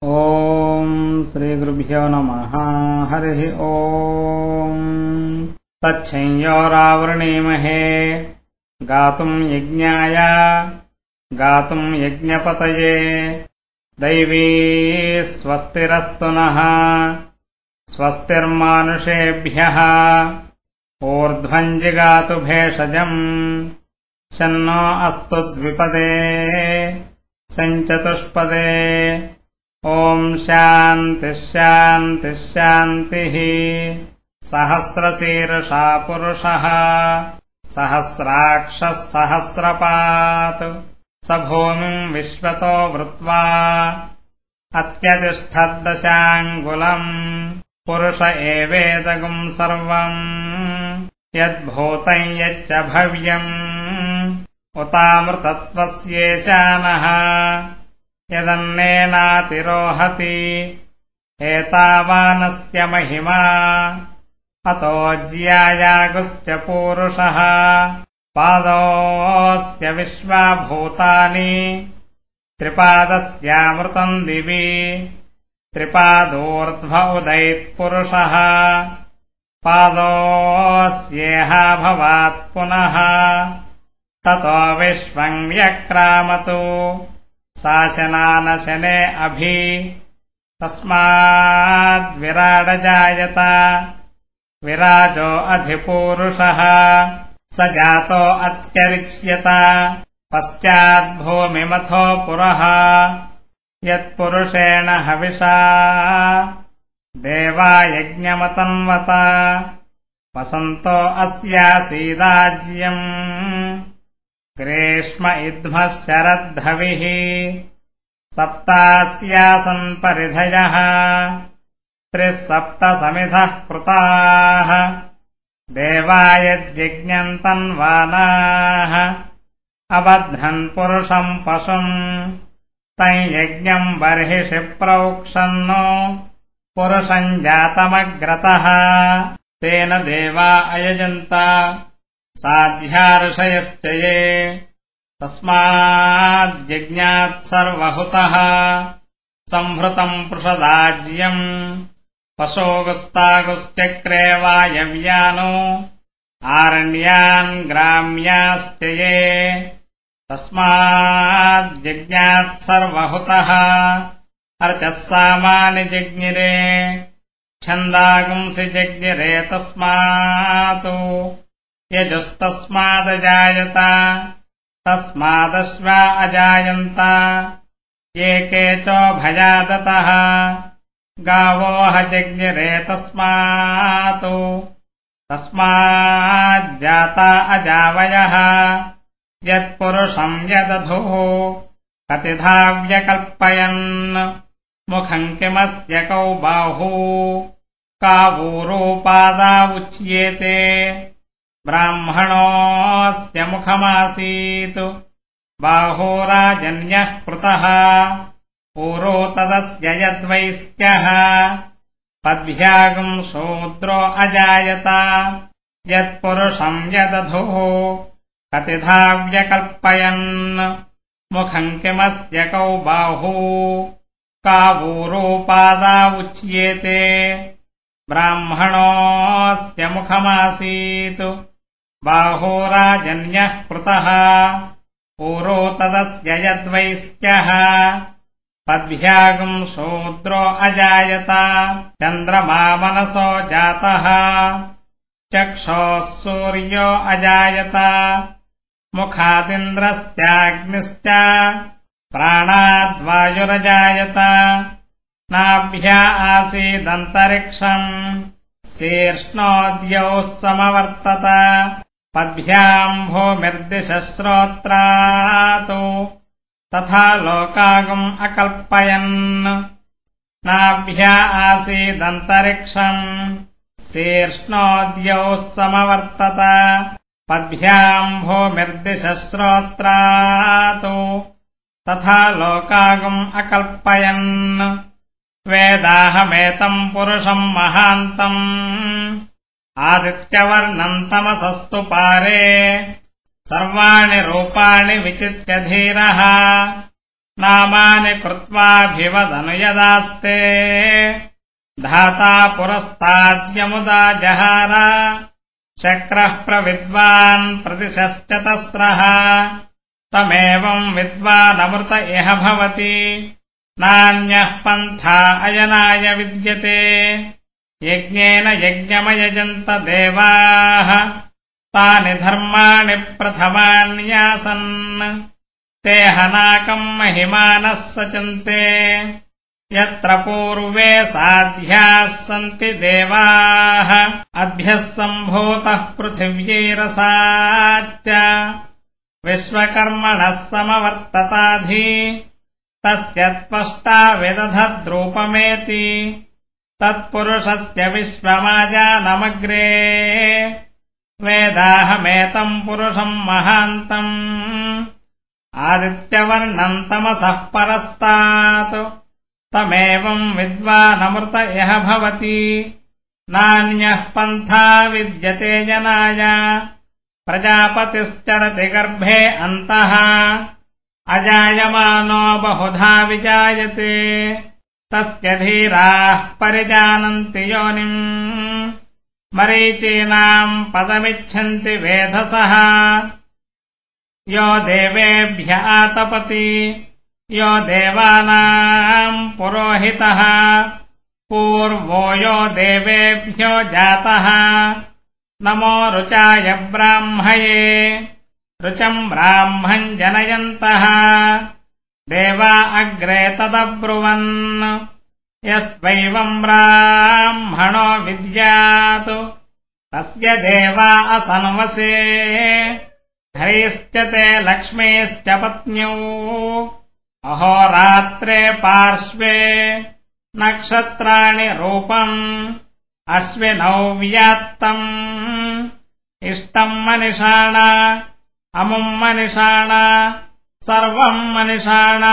ॐ श्रीगुरुभ्यो नमः। हरिः ॐ। तच्छंयोरावृणीमहे गातुम् यज्ञाय गातुम् यज्ञपतये दैवी स्वस्तिरस्तु नः स्वस्तिर्मानुषेभ्यः ऊर्ध्वम् जिगातु भेषजम् शन्नो अस्तु द्विपदे सञ्चतुष्पदे। ॐ शान्तिः शान्तिः शान्तिः। सहस्रशीर्षा पुरुषः सहस्राक्षः सहस्रपात् स भूमिम् विश्वतो वृत्वा अत्यतिष्ठद्दशाङ्गुलम् पुरुष एवेदगुम् सर्वम् यद्भूतम् यच्च भव्यम् उतामृतत्वस्येशानः यदन्नेनातिरोहति एतावानस्य महिमा अतो ज्यायागुश्च पूरुषः पादोऽस्य विश्वाभूतानि त्रिपादस्यामृतम् दिवि त्रिपादोर्ध्व उदैत्पुरुषः पादोऽस्येहा भवात् पुनः ततो विश्वम् व्यक्रामतु शासनानशने अभि तस्माद्विराडजायत विराजो अधिपूरुषः स जातो अत्यरिच्यत पश्चाद्भूमिमथो पुरः यत्पुरुषेण हविषा देवा यज्ञमतन्वत वसन्तो अस्यासीदाज्यम् ग्रीष्म इद्मः शरद्धविः सप्तास्यासन् परिधयः त्रिः सप्त समिधः कृताः देवा यद्यज्ञम् तन्वानाः अबध्नन् पुरुषम् पशुम् तम् यज्ञम् बर्हिषि प्रोक्षन्नो पुरुषम् जातमग्रतः तेन देवा अयजन्त साध्या ऋषयश्च ये तस्माद्यज्ञात् सर्वहुतः सम्भृतम् पृषदाज्यम् पशोगुस्तागुश्चक्रे वायव्यानो आरण्यान् ग्राम्याश्च ये तस्माद्यज्ञात् सर्वहुतः अर्चः सामानि जज्ञिरे छन्दागुंसि जज्ञिरे तस्मात् यजुस्तस्मादजायत तस्मादश्वा अजायन्त ये केचोभयादतः गावोह जज्ञिरे तस्मात् तस्माज्जाता अजावयः यत्पुरुषम् यदधुः कतिधा व्यकल्पयन् मुखम् किमस्य कौ बाहू कावूरोपादा उच्येते ब्राह्मणोऽस्य मुखमासीत् बाहोराजन्यः कृतः ऊरो तदस्य यद्वैस्क्यः पद्भ्यागम् शूद्रो अजायत यत्पुरुषम् यदधुः कतिधा व्यकल्पयन् मुखम् किमस्य कौ बाहू कावूरोपादा उच्येते ब्राह्मणोऽस्य मुखमासीत् बाहोराजन्यः कृतः ऊरो तदस्य यद्वैस्क्यः पद्भ्यागम् शूद्रो अजायत चन्द्रमा मनसो जातः चक्षोः सूर्यो अजायत मुखादिन्द्रश्चाग्निश्च प्राणाद्वायुरजायत नाभ्या आसीदन्तरिक्षम् शीर्ष्णोद्यौः समवर्तत पद्भ्याम् भूमिर्दिशश्रोत्रात् तथा लोकागम् अकल्पयन् नाभ्या आसीदन्तरिक्षम् शीर्ष्णोद्यौः समवर्तत पद्भ्याम् भूमिर्दिशश्रोत्रात् तथा लोकागम् अकल्पयन् वेदाहमेतम् पुरुषम् महान्तम् आदित्यवर्णम् तमसस्तु पारे सर्वाणि रूपाणि विचित्य धीरः नामानि कृत्वाभिवदनु यदास्ते धाता पुरस्ताद्यमुदा जहार शक्रः प्रविद्वान् प्रतिशश्चतस्रः तमेवम् विद्वानमृत इह भवति नान्यः पन्था अयनाय विद्यते यज्ञेन यज्ञमयजन्त देवाः तानि धर्माणि प्रथमान्यासन् ते हनाकम् महिमानः सचन्ते यत्र पूर्वे साध्याः सन्ति देवाः अभ्यः सम्भूतः पृथिव्यैरसाच्च विश्वकर्मणः समवर्तताधि तस्य त्वष्टा विदधद्रूपमेति तत्पुरुषस्य विश्वमाजानमग्रे वेदाहमेतम् पुरुषम् महान्तम् आदित्यवर्णम् तमसः परस्तात् तमेवम् विद्वानमृत इह भवति नान्यः पन्था विद्यते जनाय प्रजापतिश्चरति गर्भे अन्तः अजायमानो बहुधा विजायते तस्य धीराः परिजानन्ति योनिम् मरीचीनाम् पदमिच्छन्ति वेधसः यो देवेभ्य आतपति यो देवानाम् पुरोहितः पूर्वो यो देवेभ्यो जातः नमो रुचाय ब्राह्मये रुचम् ब्राह्मम् जनयन्तः देवा अग्रे तदब्रुवन् यस्त्वैवम् ब्राह्मणो विद्यात् तस्य देवा असन्वसे हरिश्च ते लक्ष्मीश्च पत्न्यौ अहोरात्रे पार्श्वे नक्षत्राणि रूपम् अश्विनौ व्यात्तम् इष्टम् मनिषाण अमुम् मनिषाण सर्वम् मनिषाण